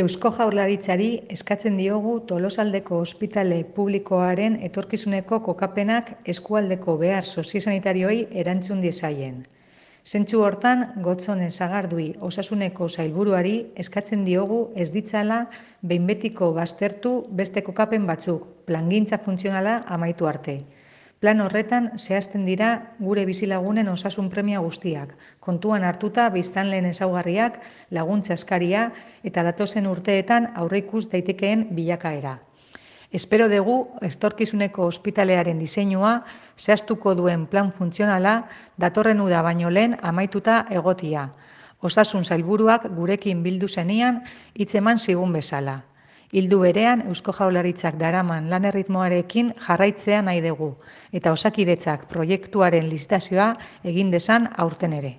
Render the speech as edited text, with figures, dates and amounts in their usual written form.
Eusko Jaurlaritzari eskatzen diogu Tolosaldeko ospitale publikoaren etorkizuneko kokapenak eskualdeko behar soziosanitarioei erantzun diezaien. Zentzu hortan, Gotzone Sagardui Osasuneko sailburuari eskatzen diogu ez ditzala behin betiko baztertu beste kokapen batzuk, plangintza funtzionala amaitu arte. Plan horretan zehazten dira gure bizilagunen osasun premia guztiak, kontuan hartuta biztanleen ezaugarriak, laguntza eskaria eta datozen urteetan aurreikus daitekeen bilakaera. Espero dugu etorkizuneko ospitalearen diseinua zehaztuko duen plan funtzionala datorren uda baino lehen amaituta egotia. Osasun sailburuak gurekin bildu zenian hitz eman zigun bezala. Ildu berean Eusko Jaurlaritzak daraman lan erritmoarekin jarraitzea nahi dugu eta Osakidetzak proiektuaren lizitazioa egin dezan aurten ere.